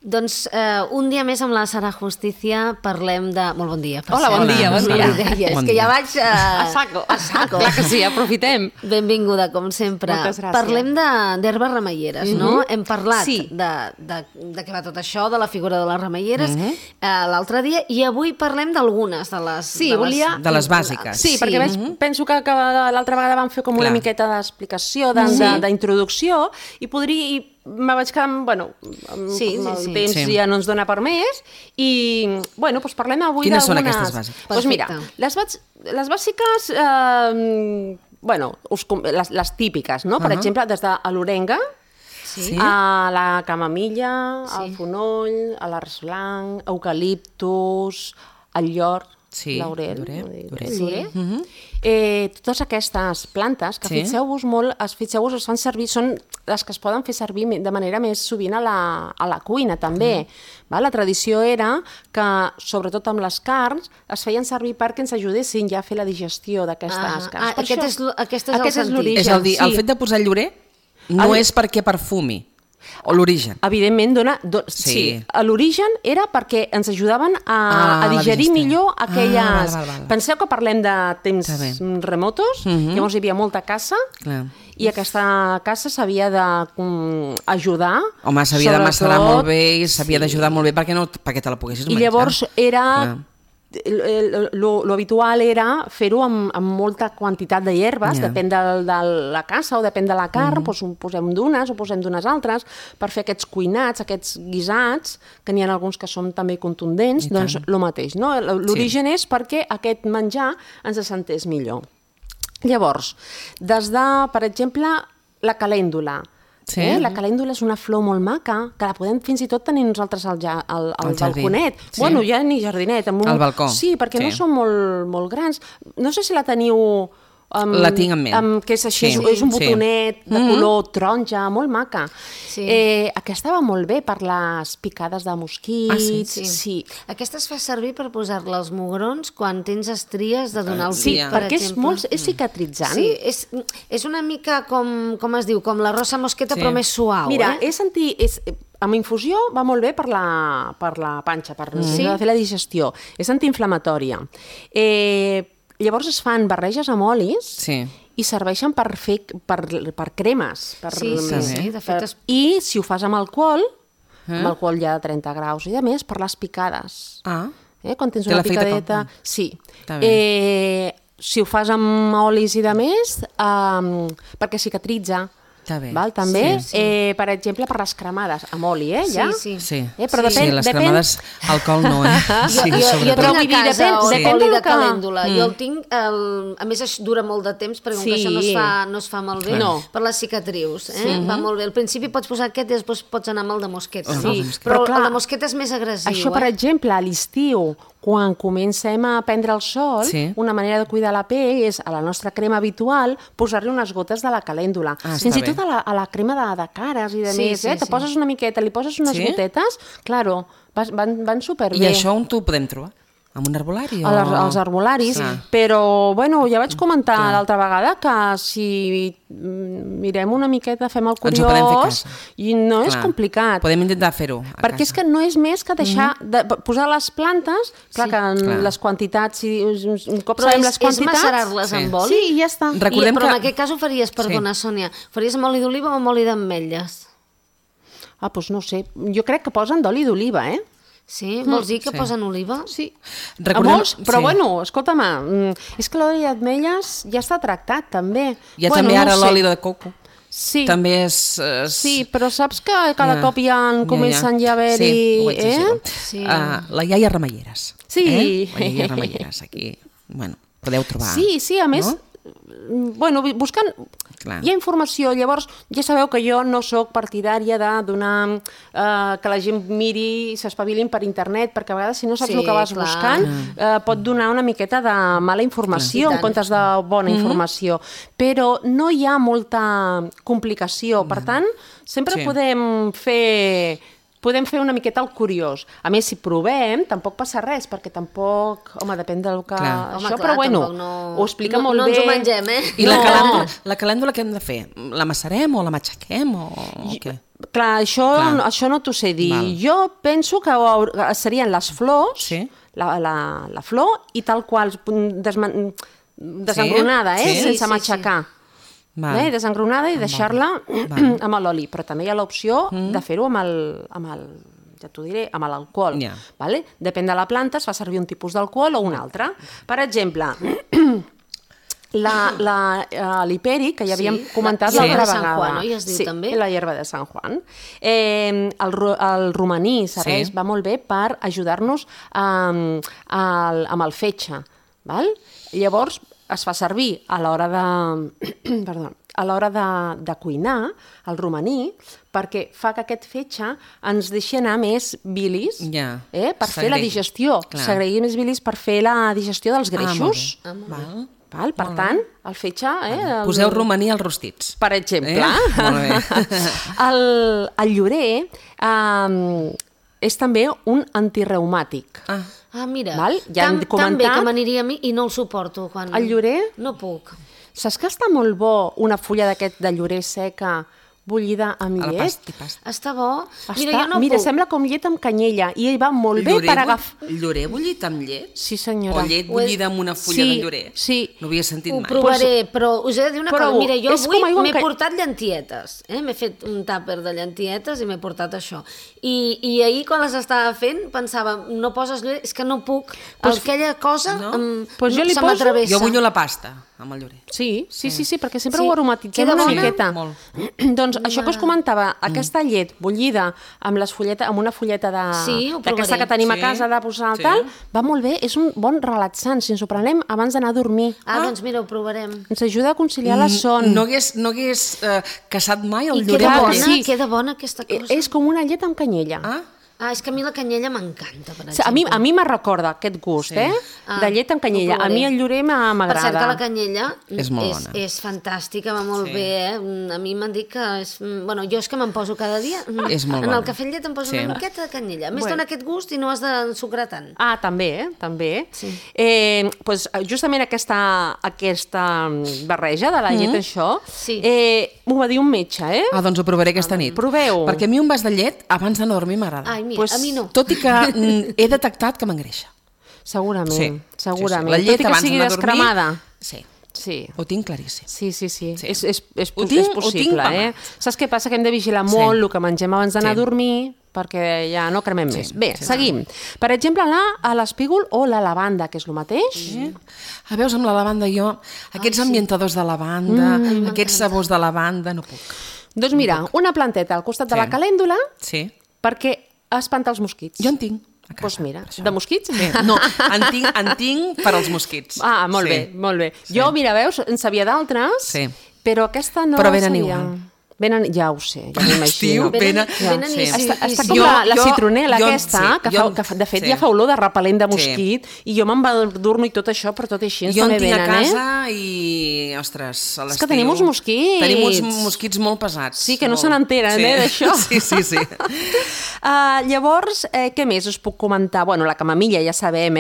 Doncs un dia més amb la Sara Justicia parlem de... Molt bon dia. Hola, bon dia. És que ja vaig... A saco. Clar que sí, aprofitem. Benvinguda, com sempre. Moltes gràcies. Parlem d'herbes remeieres, no? Hem parlat Sí. de què va tot això, de la figura de les remeieres, l'altre dia, i avui parlem d'algunes de les... Sí, volia... De les bàsiques. Sí, perquè penso que l'altra vegada vam fer com una miqueta d'explicació, d'introducció, i me vaig quedar, bueno, amb el temps ja no ens dona per més, i, bueno, doncs parlem avui d'algunes... Quines són aquestes bàsiques? Doncs mira, les bàsiques, bueno, les típiques, no? Per exemple, des de l'orenga, a la camamilla, al fonoll, a l'arç eucaliptus, al llor, l'aurel, totes aquestes plantes que fixeu-vos molt, es fan servir, són les que es poden fer servir de manera més sovint a la cuina també. La tradició era que, sobretot amb les carns, es feien servir perquè ens ajudessin ja a fer la digestió d'aquestes carns. Aquest és el sentit. És a dir, el fet de posar llorer no és perquè perfumi. O l'origen. Evidentment, sí. L'origen era perquè ens ajudaven a digerir millor aquelles... Penseu que parlem de temps remotos, llavors hi havia molta caça, i aquesta caça s'havia d'ajudar... Home, s'havia de macerar molt bé i s'havia d'ajudar molt bé perquè te la poguessis menjar. I llavors era... L'habitual era fer-ho amb molta quantitat de hierbes, depèn de la caça o depèn de la carn, posem d'unes o posem d'unes altres, per fer aquests cuinats, aquests guisats, que n'hi ha alguns que són també contundents, doncs el mateix. L'origen és perquè aquest menjar ens sentés millor. Llavors, des de, per exemple, la calèndula. La calèndula és una flor molt maca, que la podem fins i tot tenir nosaltres al balconet. Bueno, ja ni jardinet. Al balcó. Sí, perquè no són molt grans. No sé si la teniu... La tinc en ment. Que és així, és un botonet de color taronja, molt maca. Aquesta va molt bé per les picades de mosquits. Sí. Aquesta es fa servir per posar-la als mugrons quan tens estries de donar el pit, per exemple. Sí, perquè és cicatritzant. Sí, és una mica com es diu, com la rosa mosqueta, però més suau. Mira, amb infusió va molt bé per la panxa, per fer la digestió. És antiinflamatòria. Llavors es fan barreges amb olis i serveixen per cremes. De fet. I si ho fas amb alcohol ja de 30 graus i de més, per les picades. Quan tens una picadeta... Sí. Si ho fas amb olis i de més, perquè cicatritza. També, per exemple, per les cremades, amb oli, ja? Sí. Però les cremades, alcohol no, Jo tinc a casa oli de calèndula. Jo el tinc, a més dura molt de temps, perquè com que això no es fa malbé, per les cicatrius. Va molt bé. Al principi pots posar aquest i després pots anar amb el de mosqueta. Però el de mosqueta és més agressiu. Això, per exemple, a l'estiu, quan comencem a prendre el sol, una manera de cuidar la pell és, a la nostra crema habitual, posar-li unes gotes de la calèndula. Fins i tot a la crema de cares i de més, te poses una miqueta, li poses unes gotetes, claro, van superbé. I això on t'ho podem trobar? En un herbolari? Als herbolaris, però bueno, ja vaig comentar l'altra vegada que si mirem una miqueta, fem el curiós, i no és complicat. Podem intentar fer-ho a casa. Perquè és que no és més que deixar de posar les plantes, clar que les quantitats, un cop sabem les quantitats... És macerar-les amb oli? Sí, i ja està. Però en aquest cas ho faries, perdona, Sònia, faries amb oli d'oliva o amb oli d'ametlles? Doncs no sé, jo crec que posen d'oli d'oliva, Sí? Vols dir que posen oliva? Sí. Però bueno, escolta'm, és que l'oli d'ametlles ja està tractat, també. Hi ha també ara l'oli de coco. Sí. També és... Sí, però saps que cada cop ja comencen ja a haver-hi... Sí, ho vaig dir. La iaia Remeieres. Sí. La iaia Remeieres, aquí. Bueno, podeu trobar. Sí, a més... Bueno, buscant... Hi ha informació, llavors ja sabeu que jo no sóc partidària de donar que la gent miri i s'espavilin per internet, perquè a vegades si no saps el que vas buscant pot donar una miqueta de mala informació en comptes de bona informació, però no hi ha molta complicació, per tant sempre podem fer una miqueta el curiós. A més, si provem, tampoc passa res, perquè tampoc... Home, depèn del que... Això, però bueno, ho explica molt bé. No ens ho mengem, I la calèndula què hem de fer? La macerem o la matxaquem o què? Clar, això no t'ho sé dir. Jo penso que serien les flors, la flor, i tal qual, desengronada, sense matxacar. Desengronada i deixar-la amb l'oli. Però també hi ha l'opció de fer-ho amb el ja t'ho diré, amb l'alcohol. Depèn de la planta, es fa servir un tipus d'alcohol o un altre. Per exemple, l'hiperi, que ja havíem comentat l'altra vegada. Sí, la hierba de Sant Juan. El romaní serveix, va molt bé per ajudar-nos amb el fetge. Llavors, es fa servir a l'hora de cuinar el romaní perquè fa que aquest fetge ens deixi anar més bilis per fer la digestió. S'agregui més bilis per fer la digestió dels greixos. Per tant, el fetge... Poseu romaní als rostits. Per exemple. Molt bé. El llorer és també un antireumàtic. Mira, tan bé que m'aniria a mi i no el suporto. El llorer? No puc. Saps que està molt bo una fulla d'aquest de llorer seca bullida amb llet? Està bo? Mira, sembla com llet amb canyella i va molt bé per agafar... Llorer bullit amb llet? Sí, senyora. O llet bullida amb una fulla de llorer? Sí. No havia sentit mai. Ho provaré, però us he de dir una cosa. Mira, jo avui m'he portat llantietes. M'he fet un tàper de llantietes i m'he portat això. I ahir, quan les estava fent, pensava, no poses llorer, és que no puc. Aquella cosa se m'atravessa. Jo bullo la pasta amb el llorer. Sí, perquè sempre ho aromatitzem una miqueta. Doncs això que us comentava, aquesta llet bullida amb una fulleta d'aquesta que tenim a casa de posar al tal, va molt bé, és un bon relaxant, si ens ho prenem abans d'anar a dormir. Doncs mira, ho provarem. Ens ajuda a conciliar la son. No hagués caçat mai el llorer. I queda bona aquesta cosa. És com una llet amb canyella. És que a mi la canyella m'encanta, per exemple. A mi me recorda aquest gust, de llet amb canyella. A mi el llorer m'agrada. Per cert que la canyella és molt bona. És fantàstica, va molt bé. A mi m'han dit que és... Bueno, jo és que me'n poso cada dia. En el cafè amb llet em poso una miqueta de canyella. A més, dona aquest gust i no has d'ensucrar tant. També, també. Justament aquesta barreja de la llet, això, m'ho va dir un metge, Doncs ho provaré aquesta nit. Proveu. Perquè a mi un vas de llet abans d'anar a dormir m'agrada. Mira, a mi no. Tot i que he detectat que m'engreixa. Segurament. La llet tot i que sigui descremada. Sí. Ho tinc claríssim. Sí. És possible, Saps què passa? Que hem de vigilar molt el que mengem abans d'anar a dormir perquè ja no cremem més. Bé, seguim. Per exemple, l'espígol o la lavanda, que és el mateix. Veus, amb la lavanda jo, aquests ambientadors de lavanda, aquests sabors de lavanda, no puc. Doncs mira, una planteta al costat de la calèndula perquè espanta els mosquits. Jo en tinc. Doncs mira, de mosquits? No, en tinc per als mosquits. Molt bé, molt bé. Jo, mira, veus, en sabia d'altres, però aquesta no la sabia. Però venen igual. Ja ho sé, ja m'imagino. Està com la citronela aquesta, que de fet ja fa olor de repel·lent de mosquit, i jo me'n va dur-me i tot això, però tot així jo en tinc a casa i, ostres, a l'estiu... És que tenim uns mosquits. Tenim uns mosquits molt pesats. Sí, que no se n'entenen, d'això. Sí. Llavors, què més us puc comentar? Bueno, la camamilla ja sabem,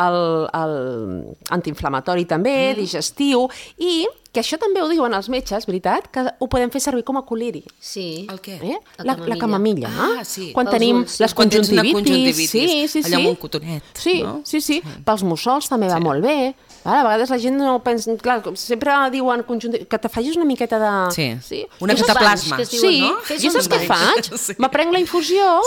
l'antiinflamatori també, digestiu, i que això també ho diuen els metges, veritat, que ho podem fer servir com a col·liri. Sí. El què? La camamilla. Sí. Quan tenim les conjuntivitis. Sí. Allà amb un cotonet. Sí. Pels mussols també va molt bé. A vegades la gent no pensa... Clar, sempre diuen que te facis una miqueta de... Sí. Una cataplasma. Sí. Jo saps què faig? M'aprenc la infusió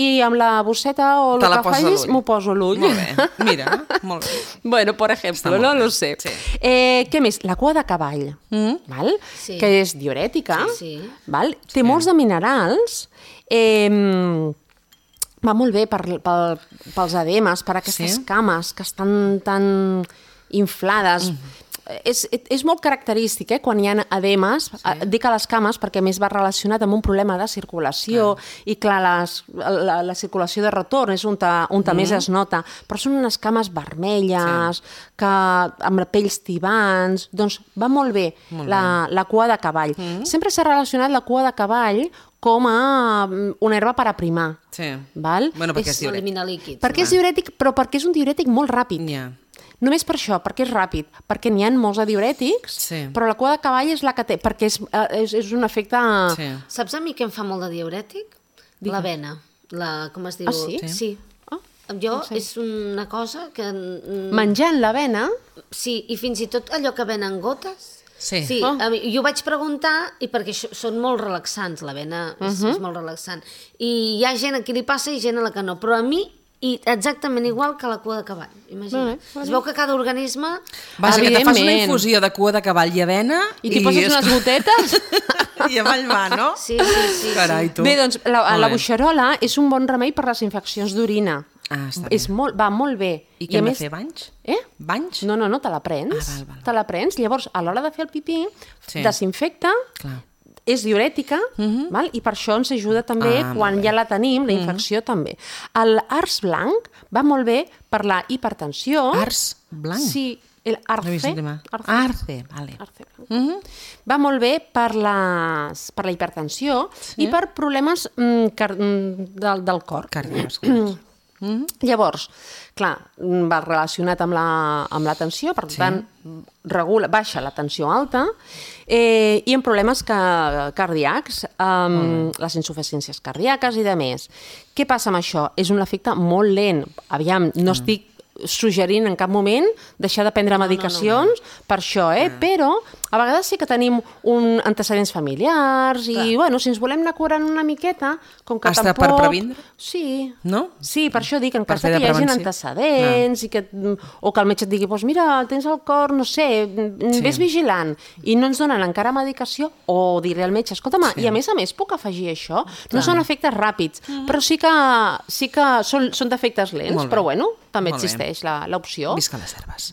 i amb la bosseta o el que facis m'ho poso a l'ull. Molt bé, mira, molt bé. Bueno, per exemple, no lo sé. Què més? La cua de cavall, que és diurètica, té molts de minerals, va molt bé pels edemes, per aquestes cames que estan tan inflades. És molt característic, quan hi ha edemes, dic a les cames perquè més va relacionat amb un problema de circulació i clar, la circulació de retorn és on més es nota, però són unes cames vermelles, amb pells tibants, doncs va molt bé la cua de cavall. Sempre s'ha relacionat la cua de cavall com a una herba per aprimar. Bueno, perquè és diurètic. Perquè és diurètic, però perquè és un diurètic molt ràpid. Només per això, perquè és ràpid, perquè n'hi ha molts de diürètics, però la cua de cavall és la que té, perquè és un efecte... Saps a mi què em fa molt de diürètic? L'avena. Com es diu? Ah, sí? Sí. Jo, és una cosa que... Menjant l'avena... Sí, i fins i tot allò que venen gotes... Sí. Jo vaig preguntar, i perquè són molt relaxants, l'avena és molt relaxant, i hi ha gent a qui li passa i gent a la que no, però a mi exactament igual que la cua de cavall, imagina. Es veu que cada organisme... Vaja, que te fas una infusió de cua de cavall i avena... I t'hi poses unes gotetes... I avall va, no? Sí. Carai, tu. Bé, doncs, la boixerola és un bon remei per les infeccions d'orina. Ah, està bé. Va molt bé. I què hem de fer, banys? Banys? No, te la prens. Te la prens. Llavors, a l'hora de fer el pipí, desinfecta, és diurètica, i per això ens ajuda també, quan ja la tenim, la infecció també. L'ars blanc va molt bé per la hipertensió. Ars blanc? Sí, l'arce. Arce, vale. Va molt bé per la hipertensió i per problemes del cor. Cardiovasculars. Llavors, clar, va relacionat amb la tensió, per tant, baixa la tensió alta i en problemes cardíacs, les insuficiències cardíaques i de més. Què passa amb això? És un efecte molt lent. Aviam, no estic suggerint en cap moment deixar de prendre medicacions per això, però a vegades sí que tenim antecedents familiars i, bueno, si ens volem anar curant una miqueta, com que tampoc... per previndre? Sí. No? Sí, per això dic, en cas que hi hagin antecedents o que el metge et digui, doncs mira, tens el cor, no sé, ves vigilant, i no ens donen encara medicació, o diré al metge, escolta'm, i a més puc afegir això? No són efectes ràpids, però sí que són d'efectes lents, però bueno, també existeix l'opció. Visca les herbes.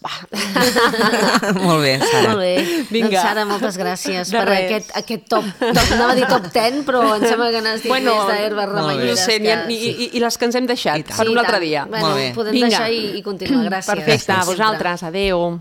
Molt bé, Sara. Molt bé. Doncs Sara, moltes gràcies per aquest top. Anava a dir top 10, però em sembla que n'has dit més d'herbes remenyeres. I les que ens hem deixat per un altre dia. Podem deixar i continuar. Gràcies. Perfecte, a vosaltres. Adéu.